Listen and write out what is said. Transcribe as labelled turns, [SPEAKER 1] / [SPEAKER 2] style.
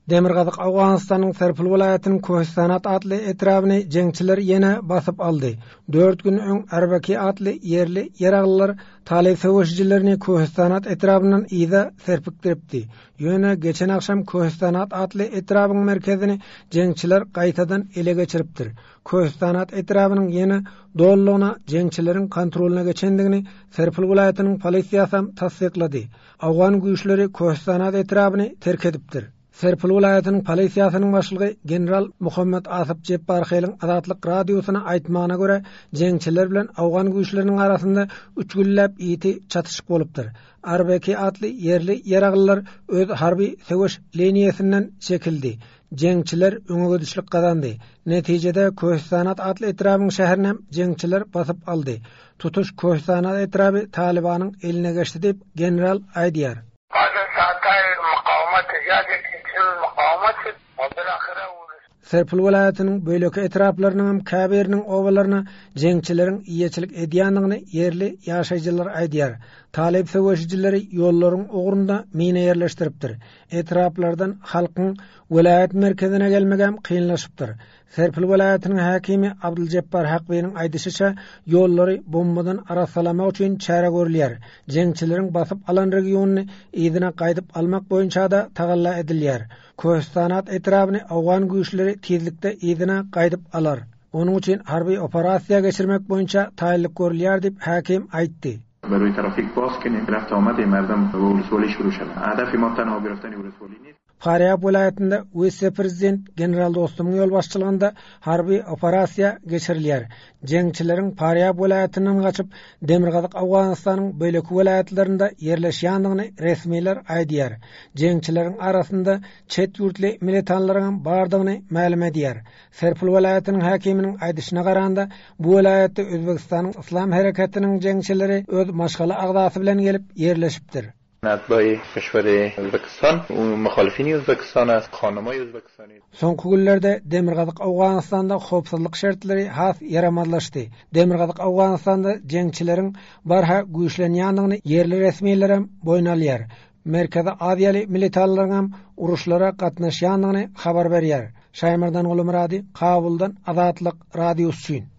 [SPEAKER 1] Demirgazyk Owganystanyň Serpil welaýatynyň Köhistanat atly etrabyny jeňçiler ýene basyp aldy. Dört gün öň Arbaki atly ýerli ýaraglylar talyp söweşijilerini Köhistanat etrabyndan yza serpikdiripdi. Ýöne geçen agşam Köhistanat atly etrabyň merkezini jeňçiler gaýtadan ele geçiripdir. Köhistanat etrabynyň ýene dolulygyna jeňçileriň kontrolyna geçendigini Serpil welaýatynyň polisiýasam tassyklady. Owgan güýçleri Köhistanat etrabyny terk edipdir. Serpil welaýatynyň polisiýasynyň başlygy general Muhammet Asyp Jepbarheliň Azatlyk Radiosyna aýtmagyna görä, jeňçiler bilen owgan güýçleriniň arasynda üç günläp ýiti çatyşyk bolupdyr. Arbeki atly ýerli ýaraglylar öz harby söweş liniýasyndan çekildi. Jeňçiler öňegidişlik gazandy. Netijede Köhistanat atly etrabyň şäherinem jeňçiler basyp aldy. Tutuş Köhistanat etraby Talybanyň eline geçdi diýip, general aýdýar. Serpil welaýatynyň beýleki etraplarynyňam käbiriniň obalaryna jeňçileriň eýeçilik edýändigini ýerli ýaşaýjylar aýdýar. Talyp söweşijileri ýollaryň ugrunda mina ýerleşdiripdir. Etraplardan halkyň welaýat merkezine gelmegem kynlaşypdyr. Serpil welaýatynyň häkimi Abdyljepbar Hakbynyň aýdyşyça, ýollary bombadan arassalamak üçin çäre görülýär. Jeňçileriň basyp alan regionyny yzyna gaýdyp almak boýunça-da tagalla edilýär. Köhistanat etrabyny owgan güýçleri tizlikde yzyna gaýdyp alar. Onuň üçin harby operasiýa geçirmek boýunça taýynlyk görülýär diýip, häkim aýtdy. Farýab welaýatynda wise-prezident general Dostumyň ýolbaşçylygynda harby operasiýa geçirilýär. Jeňçileriň Farýab welaýatyndan gaçyp, demirgazyk Owganystanyň beýleki welaýatlarynda ýerleşýändigini resmiler aýdýar. Jeňçileriň arasynda çet ýurtly militanlaryňam bardygyny mälim edýär. Serpil welaýatynyň häkiminiň aýdyşyna garanda, bu welaýatda Özbegistanyň Yslam hereketiniň jeňçileri öz maşgala agzasy bilen gelip ýerleşipdir. Soňky günlerde demirgazyk Owganystanda howpsuzlyk şertleri has ýaramazlaşdy. Demirgazyk Owganystanda jeňçileriň barha güýçlenýändigini ýerli resmilerem boýun alýar. Merkezi Aziýaly militanlaryňam uruşlara gatnaşýandygyny habar berýär. Şaýmerdan Gulumyrady, Kabuldan Azatlyk Radiosy üçin.